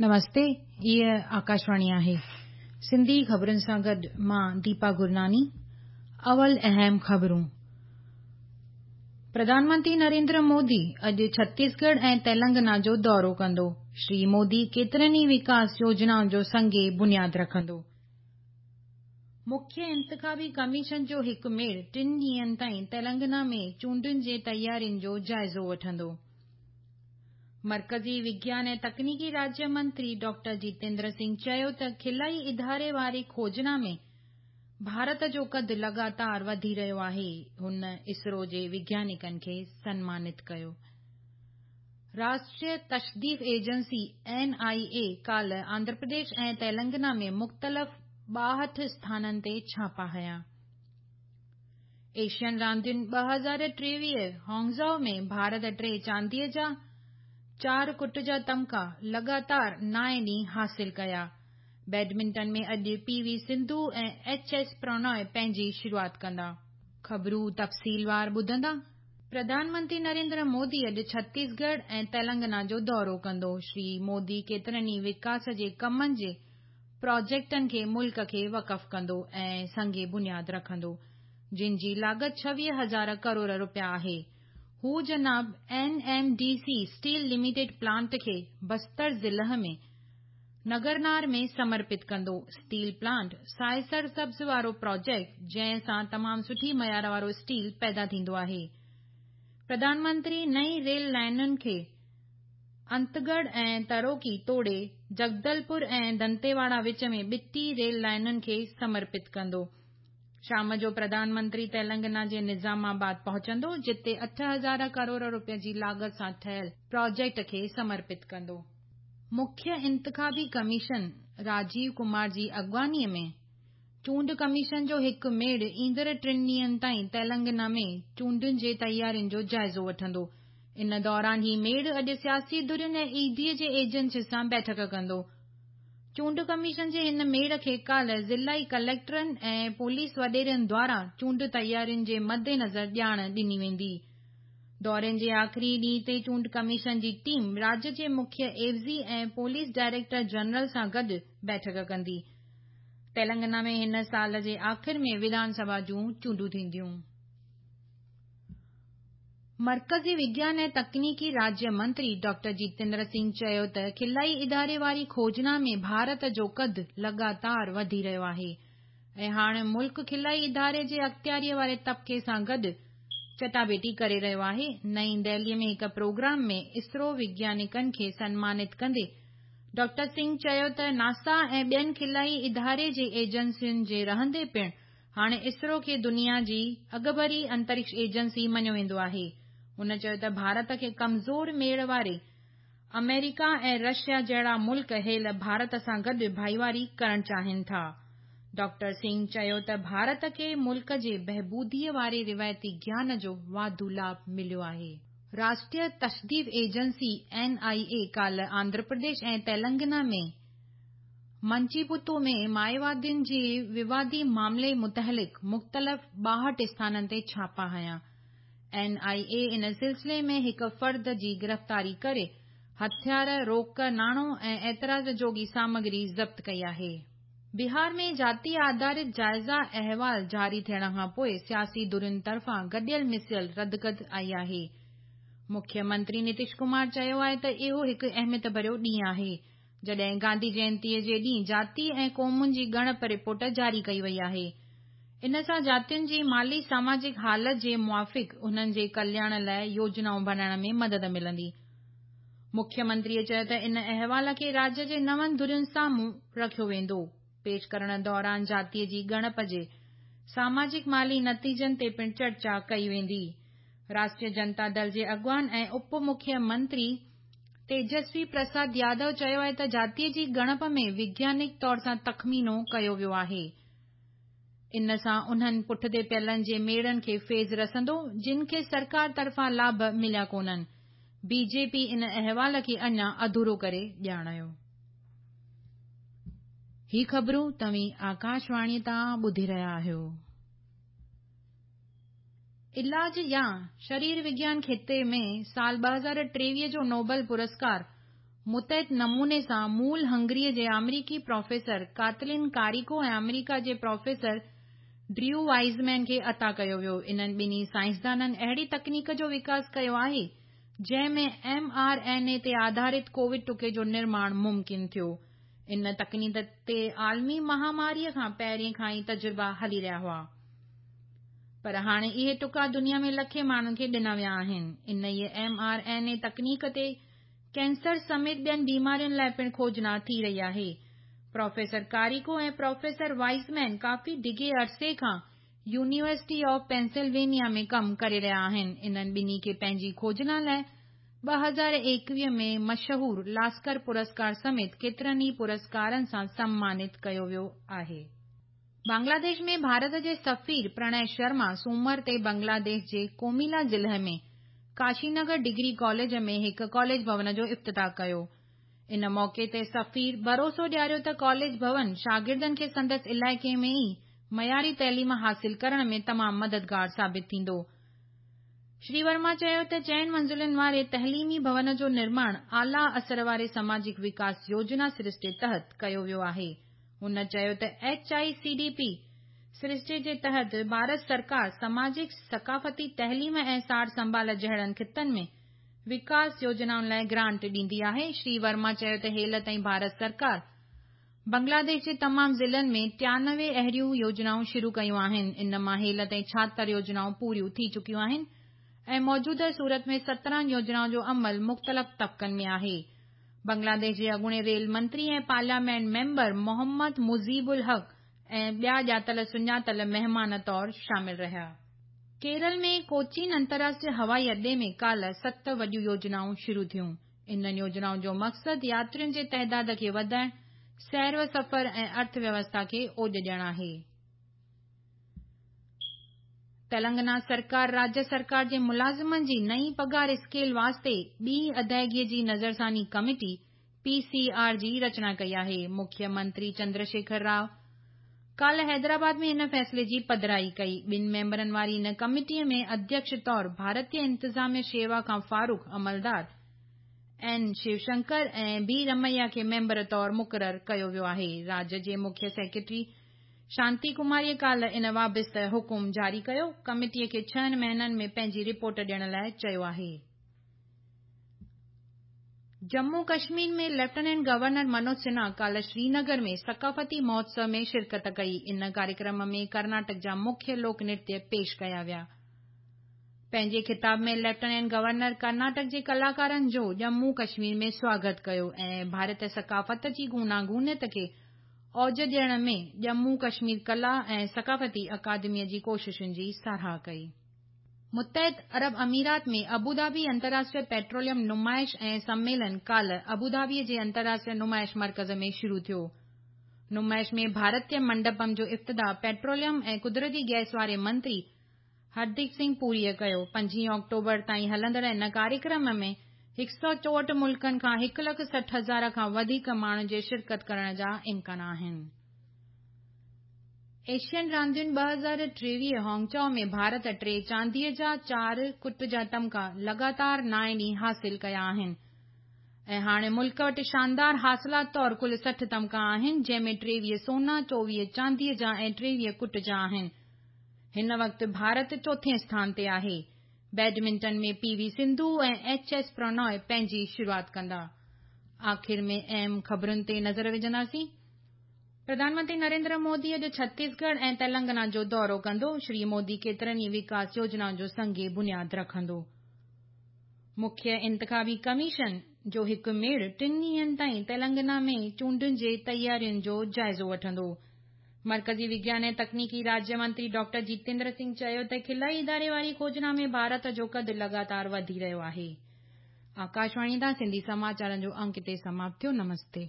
نمستي هيء آڪاشواڻي آهي. سنڌي خبرن سان گڏ مان ديپا گرناني. اول اهم خبرون. پرڌان منتري نريندر مودي اڄ ڇتيسڳڙهه ۽ تيلنگانا جو دورو ڪندو. شري مودي ڪيترن ئي وڪاس يوجنائن جو سنگ بنياد رکندو. مکيه انتخابي ڪميشن جو هڪ ميڙ ٽن ڏينهن تائين تيلنگانا ۾ چونڊن جي تيارين جو جائزو وٺندو. مرڪزي وگيان ۽ تڪنيڪي راجيه منتري ڊاڪٽر جيتيندر سنگهه چيو ته خلائي اداري واري کوجنا ۾ ڀارت جو قد لڳاتار وڌي رهيو آهي. هن اسرو جي وگيانڪن کي سنمانت ڪيو. راشٽريه تشديف ايجنسي، اين آء اي، ڪالهه آنڌرا پرديش ۽ تيلنگانا ۾ مختلف 62 اسٿانن تي ڇاپا هنيا. ايشين راندين 2023 هانگزائو ۾ ڀارت ٽي چانديء جا چار ڪٽ جا تمغا لڳاتار نائين ڏينهن حاصل ڪيا. بيڊمنٽن ۾ اڄ P V Sindhu ۽ H S Prannoy پنهنجي شروعات ڪندا. خبرون تفصيلوار ٻڌندا. پرڌان منتري نريندر مودي اڄ ڇتيسڳڙهه ۽ تيلنگانا جو دورو ڪندو. شري مودي ڪيترن ئي وڪاس جي ڪمن جي پراجيڪٽن کي ملڪ کي وقف ڪندو ۽ سنگ بنياد رکندو، جن جي لاڳت 26 هزار ڪروڙ رپيا آهي. هو جناب N M D C steel limited plant کي بستر ضلع ۾ نگرنار ۾ سمرپت ڪندو. اسٽيل پلانٽ سائي سرسبز وارو پراجيڪٽ، جنهن سان تمام سٺي معيار وارو اسٽيل پيدا ٿيندو آهي. پرڌان منتري نئين ريل لائينن کي انتڳڙهه ۽ تروڪي توڙي جگدلپور ۽ دنتيواڙا وچ ۾ ٻٽي ريل لائينن کي سمرپت ڪندو. شام جو پرڌان منتري تيلنگانا جي نظام آباد پهچندو، جتي 8 هزار ڪروڙ رپين جي لاڳت سان ٺهيل پراجيڪٽ کي سمرپت ڪندو. مکيه انتخابي ڪميشن راجيو ڪمار جي اڳواڻيء ۾ چونڊ ڪميشن جو هڪ ميڙ ايندڙ ٽن ڏينهن تائين تيلنگانا ۾ چونڊن جي تيارين جو جائزو وٺندو. ان دوران هي ميڙ اڄ سياسي ڌرين ۽ اي ڊي جي ايجنسين سان بيٺڪ ڪندو. چونڊ ڪميشن جي هن ميڙ کي ڪالهه ضلعي ڪليڪٽرن ۽ پوليس وڏيرن دواران چونڊ تيارين جي مدنظر ڄاڻ ڏني ويندي. دوري جي آخري ڏينهن تي چونڊ ڪميشن جي ٽيم راجيه جي مکيه عيوضي ۽ پوليس ڊائريڪٽر جنرل سان گڏ بيٺڪ ڪندي. تيلنگانا ۾ هن سال جي آخر ۾ وڌان سڀا جون چونڊون ٿينديون. مرڪزي وگيان ۽ تڪنيڪي راجيه منتري ڊاڪٽر جيتيندر سنگهه چيو ته خلائي اداري واري کوجنا ۾ ڀارت جو قد لڳاتار وڌي رهيو آهي ۽ هاڻ ملڪ خلائي اداري جي اختياريء واري طبقي سان گڏ چٽاڀيٽي ڪري رهيو آهي. نئين دهليء ۾ هڪ پروگرام ۾ اسرو وگيانڪن کي سنمانت ڪندي ڊاڪٽر سنگهه چيو ته ناسا ۽ ٻين خلائي اداري جي ايجنسين جي رهندي پڻ هاڻي اسرو کي دنيا جي اڳڀري انترڪش ايجنسي مڃيو ويندو آهي. هن چيو ته ڀارت کي ڪمزور ميڙ واري آمريڪا ۽ رشيا جهڙا ملڪ هيل ڀارت سان گڏ ڀائيواري ڪرڻ چاهين ٿا. ڊاڪٽر سنگهه چيو ته ڀارت کي ملڪ جي بهبوديء واري روايتي گيان جو واڌو لاڀ مليو آهي. راشٽريه تشديف ايجنسي، اين آء اي، ڪالهه آنڌرا پرديش ۽ تيلنگانا ۾ منچيپتو ۾ مائووادين جي ووادي معاملي متعلق مختلف 62 اسٿانن تي ڇاپا هنيا. اين آء اي ان سلسلي ۾ هڪ فرد جي گرفتاري ڪري هٿيار، روڪ ناڻو ۽ اعتراض جوڳي سامگري ضبط ڪئي آهي. بهار ۾ جاتي آڌارت جائزه احوال جاري ٿيڻ کان پوء سياسي ڌرين طرفان گڏيل مسيل ردگد آئي آهي. مکيه منتري نتيش ڪمار چيو آهي ته اهو هڪ اهميت ڀريو ڏينهن آهي، جڏهن گانڌي جينتيء جي ڏينهن جاتي ۽ قومن جي ڳڻپ رپورٽ جاري ڪئي وئي آهي. ان سان جاتين جي مالي ساماجڪ حالت جي موافق انهن جي ڪلياڻ لاء يوجنائون بڻائڻ ۾ مدد ملندي. مکيه منتريء چيو ته ان احوال کي راجيه جي نون ڌرين سامهون رکيو ويندو. پيش ڪرڻ دوران جاتيء جي ڳڻپ جي ساماجڪ مالي نتيجن تي پڻ چرچا ڪئي ويندي. راشٽريه جنتا دل جي اڳواڻ ۽ اپ مکيه منتري تيجسوي پرساد يادو چيو آهي ته جاتيء جي ڳڻپ ۾ وگيانڪ طور سان تخمينو ڪيو ويو آهي. ان سان انهن پٺتي پيلن جي ميڙن کي فيض رسندو، جن کي سرڪار طرفان لاڀ مليا ڪونهن. بي جي پي ان احوال کي اڃا اڌورو ڪري ڄاڻايو. هي خبرون توهين آڪاشواڻيء تان ٻڌي رهيا آهيو. علاج يا شرير وگيان کيتي ۾ سال 2023 جو نوبل پرسڪار متحد نموني سان مول هنگريء جي آمريڪي پروفيسر ڪاتلن ڪاريڪو ۽ آمريڪا جي پروفيسر ڊريو وائزمين کي عطا ڪيو ويو. انهن ٻنهي سائنسدانن اهڙي تڪنيڪ جو وڪاس ڪيو آهي، جنهن ۾ ايم آر اين اي تي آڌارت ڪووڊ ٽڪي جو نرماڻ ممڪن ٿيو. ان تڪنيڪ تي عالمي مهاماريء کان پهرين کان ئي تجربا هلي رهيا هئا. پر هاڻي اهي ٽڪا دنيا ۾ لکين ماڻهن کي ڏنا ويا آهن. انهيء ايم آر اين اي تڪنيڪ تي ڪينسر سميت ٻين بيمارين لاء پڻ کوجنا ٿي رهي آهي. پروفيسر ڪاريڪو ۽ پروفيسر وائزمين ڪافي ڊگهي عرصي کان يونيورسٽي آف پينسلوينيا ۾ ڪم ڪري رهيا آهن. انهن ٻنهي کي پنهنجي کوجنا لاء 2021 ۾ مشهور لاسڪر پرسڪار سميت ڪيترن ئي پرسڪارن سان سمانت ڪيو ويو آهي. بنگلاديش ۾ ڀارت جي سفير پرڻي شرما سومر تي بنگلاديش جي ڪوميلا ضلعي ۾ ڪاشينگر ڊگري ڪاليج ۾ هڪ ڪاليج ڀون جو افتتاح ڪيو. ان موقعي تي سفير ڀروسو ڏياريو ته ڪاليج ڀون شاگردن کي سندس علائقي ۾ ئي معياري تعليم حاصل ڪرڻ ۾ تمام مددگار ثابت ٿيندو. شري ورما چيو ته چئن منزلن واري تعليمي ڀون جو نرماڻ اعليٰ اثر واري سماجڪ وڪاس يوجنا سرشتي تحت ڪيو ويو آهي. هن چيو ته H I C D P سرشتي جي تحت ڀارت سرڪار سماجڪ، ثقافتي، تعليم ۽ سار سنڀال جهڙن خطن ۾ وڪاس يوجنائن لاء گرانٽ ڏيندي آهي. شري ورما چيو ته هيل تائين ڀارت سرڪار بنگلاديش جي تمام ضلعن ۾ 93 اهڙيون يوجنائون شروع ڪيون آهن. ان مان هيل تائين 76 يوجنائون پوريون ٿي چڪيون آهن ۽ موجوده صورت ۾ 17 يوجنائن جو عمل مختلف طبقن ۾ آهي. بنگلاديش جي اڳوڻي ريل منتري ۽ پارليامينٽ ميمبر محمد مجيب الحق ۽ ٻيا ڄاتل سڃاتل مهمان طور شامل رهيا. ڪيرل ۾ ڪوچين انترراشٽريه هوائي اڏي ۾ ڪالهه ست وڏيون يوجنائون شروع ٿيون. انهن يوجنائن جو مقصد ياترين جي تعداد کي وڌائڻ، سير و سفر ۽ ارٿ ويوسٿا کي اوڄ ڏيڻ آهي. تلنگانا سرڪار راجيه سرڪار جي ملازمن جي نئين پگهار اسڪيل واسطي ٻي ادائگي جي نظرثاني ڪميٽي، پي سي آر، جي رچنا ڪئي آهي. مکيه منتري چندرشيکر رائو ڪالهه حيدرآباد ۾ ان فيصلي جي پڌرائي ڪئي. ٻن ميمبرن واري ان ڪميٽي ۾ اڌيڪش طور ڀارتيه انتظاميه شيوا کان فاروق عملدار اين شيوشنڪر ۽ بي رميا کي ميمبر طور مقرر ڪيو ويو آهي. راجيه جي مکيه سيڪريٽري شانتي ڪماريء ڪالهه ان وابسته حڪم جاري ڪيو. ڪميٽيء کي ڇهن مهينن ۾ پنهنجي رپورٽ ڏيڻ لاء چيو آهي. ڄمون ڪشمير ۾ ليفٽيننٽ گورنر منوج سنها ڪالهه سرينگر ۾ ثقافتي مهوتسو ۾ شرڪت ڪئي. ان ڪاريڪرم ۾ ڪرناٽڪ جا مکيه لوڪ نرتيه پيش ڪيا ويا. پنهنجي خطاب ۾ ليفٽيننٽ گورنر ڪرناٽڪ جي ڪلاڪارن جو ڄمون ڪشمير ۾ سواگت ڪيو ۽ ڀارتي ثقافت جي گوناگونيت کي اوج ڏيڻ ۾ ڄمون ڪشمير ڪلا ۽ ثقافتي اڪادميء جي ڪوششن جي ساراهه ڪئي. متحد عرب اميرات ۾ ابوڌابي انترراشٽريه پيٽروليم نمائش ۽ سميلن ڪالهه ابوڌابيء جي انترراشٽريه نمائش مرڪز ۾ شروع ٿيو. نمائش ۾ ڀارتيه منڊپم جو افتتاح پيٽروليم ۽ قدرتي گئس واري منتري هرديپ سنگهه پوريء ڪيو. 5 آڪٽوبر تائين هلندڙ ان ڪاريڪرم ۾ 164 ملڪن کان 1 لک 60 هزار کان وڌيڪ ماڻهن جي شرڪت ڪرڻ جا امڪان آهن. ايشين راندين 2023 هانگچائو ۾ ڀارت 3 چانديء جا، 4 ڪٽ جا تمغا لڳاتار نائين ڏينهن حاصل ڪيا آهن ۽ هاڻي ملڪ وٽ شاندار حاصلات طور ڪل 60 تمغا آهن، جنهن ۾ 23 سونا، 24 چانديء جا ۽ 23 ڪٽ جا آهن. هن وقت ڀارت چوٿين اسٿان تي آهي. Badminton ۾ P V Sindhu ۽ H S Prannoy پنهنجي شروعات ڪندا. آخر ۾ اهم خبرن تي نظر وجهنداسين. پرڌان منتري نريندر مودي اڄ ڇتيسڳڙهه ۽ تلنگانا جو دورو ڪندو. شري مودي ڪيترن ئي وڪاس يوجنائن جو سنگ بنياد رکندو. مکيه انتخابي ڪميشن جو هڪ ميڙ ٽن ڏينهن تائين تلنگانا ۾ چونڊن جي تيارين جو جائزو وٺندو. مرڪزي وگيان ۽ تڪنيڪي راجيه منتري ڊاڪٽر جيتيندر سنگهه چيو ته خلائي اداري واري کوجنا ۾ ڀارت جو قد لڳاتار وڌي رهيو آهي. آڪاشواڻي تان سنڌي سماچارن جو انڪ هتي سماپت ٿيو. نمستي.